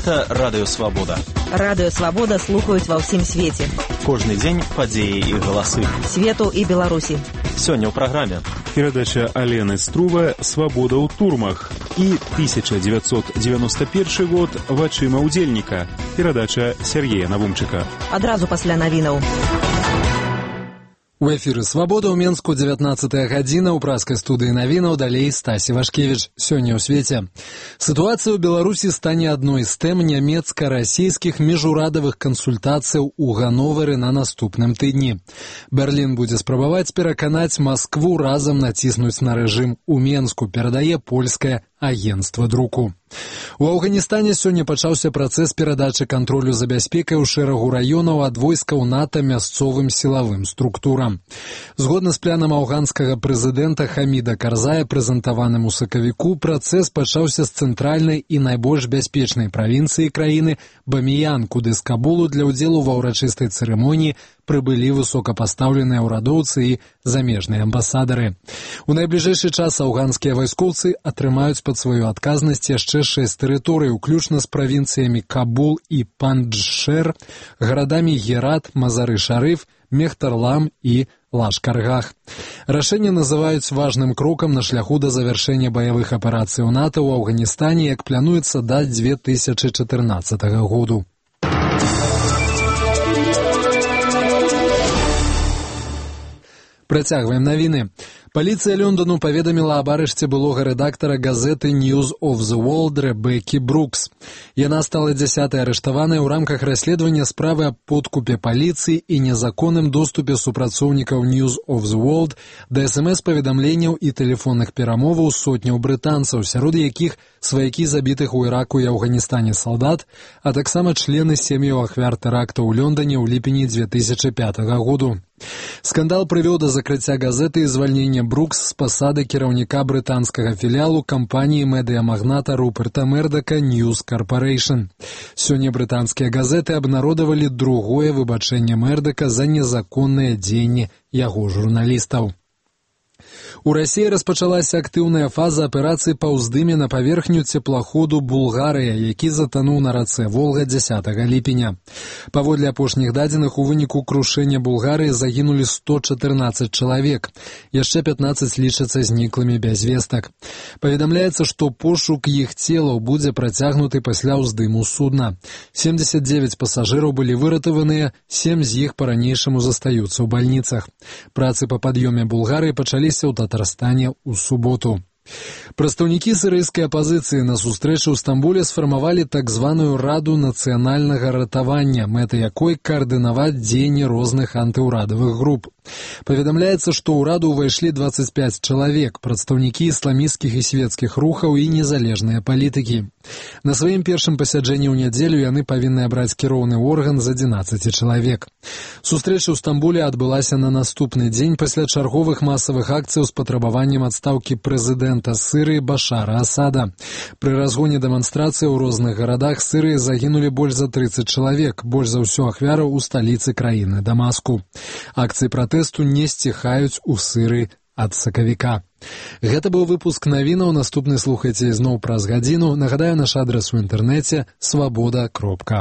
Гэта Радыё Свабода. Радыё Свабода слухаюць ва ўсім свеце. Кожны дзень падзеі і галасы. Свету і Беларусі. Сёння ў праграме. Перадача Алены Струва «Свабода ў турмах» і 1991 год «Вачыма ўдзельніка». Перадача Сергея Навумчыка. Адразу пасля навінаў. У эфіры «Свабода» ў Менску, 19 гадзіна, у праскай студыі навінаў, далей Стасі Вашкевіч. Сёння ў свеце. Сітуацыя ў Беларусі стане адной з тэм нямецка-расійскіх міжурадавых кансультацыяў у Ганновары на наступным тыдні. Берлін будзе спрабаваць пераканаць Маскву разам націснуць на рэжым у Менску, перадае польскае агенцтва друку. У Афганістане сёння пачаўся працэс перадачы кантролю за бяспекай у шэрагу раёнаў ад войскаў НАТО мясцовым сілавым структурам. Згодна з планам афганскага прэзідэнта Хаміда Карзая, прэзентаваным у сакавіку, працэс пачаўся з цэнтральнай і найбольш бяспечнай правінцыі краіны Баміян, куды з Кабулу для ўдзелу ва ўрачыстай цырымоніі прыбылі высокапастаўленыя ўрадоўцы і замежныя амбасадары. У найбліжэйшы час афганскія вайскоўцы атрымаюць пад сваю адказнасць яшчэ 6 тэрыторый, уключна з правінцыямі Кабул і Панджшэр, гарадамі Герат, Мазары-Шарыф, Мехтарлам і Лашкаргах. Рашэнне называюць важным крокам на шляху да завяршэння баявых аперацый у НАТО ў Афганістане, як плануецца да 2014 году. Працягваем навіны. Паліцыя Лондону паведаміла аб арышце былога рэдактара газеты News of the World Рэбеккі Брукс. Яна стала 10-й арыштаванай у рамках расследавання справы аб подкупе паліцыі і незаконным доступе супрацоўнікаў News of the World да СМС-паведамленняў і тэлефонных перамоваў сотняў брытанцаў, сярод якіх сваякі забітых у Іраку і Афганістане салдат, а таксама члены сем'яў ахвяр тэракта ў Лондоне ў ліпені 2005 году. Скандал прывёў да закрыцця газеты і звальнення Брукс з пасады кіраўніка брытанскага філіалу кампаніі медыямагната Руперта Мердака News Corporation. Сёння брытанскія газеты абнародавалі другое выбачэнне Мердака за незаконныя дзеянні яго журналістаў. У Расіі распачалася актыўная фаза аперацыі па ўздыме на паверхню цеплаходу «Булгарыя», які затануў на рацэ Волга 10 ліпеня. Паводле апошніх дадзеных, у выніку крушэння «Булгарыі» загінулі 114 чалавек. Яшчэ 15 лічацца зніклымі без вестак. Паведамляецца, што пошук іх целаў будзе працягнуты пасля ўздыму судна. 79 пасажыраў былі выратаваныя, 7 з іх па-ранейшаму застаюцца ў бальніцах. Працы па пад'ёме «Булгарыі» пачаліся ў Татарстане ў суботу. Прадстаўнікі сірыйскай апазіцыі на сустрэчы ў Стамбуле сфармавалі так званую Раду нацыянальнага ратавання, мэта якой каардынаваць дзеянні розных антыўрадавых груп. Паведамляецца, што ў раду ўвайшлі 25 чалавек, прадстаўнікі ісламісцкіх і свецкіх рухаў і незалежныя палітыкі. На сваім першым пасяджэнні ў нядзелю яны павінны абраць кіроўны орган з 11 чалавек. Сустрэча ў Стамбуле адбылася на наступны дзень пасля чарговых масавых акцыяў з патрабаваннем адстаўкі прэзідэнта Сырыі Башара Асада. Пры разгоне дэманстрацыі ў розных гарадах Сырыі загінулі больш за 30 чалавек, больш за ўсё ахвяраў у сталіцы краіны Дамаску. Акцыі пратэсту не сціхаюць у Сырыі ад сакавіка. Гэта быў выпуск навінаў, наступны слухайце ізноў праз гадзіну. Нагадаю, наш адрас у інтэрнэце свабода.орг.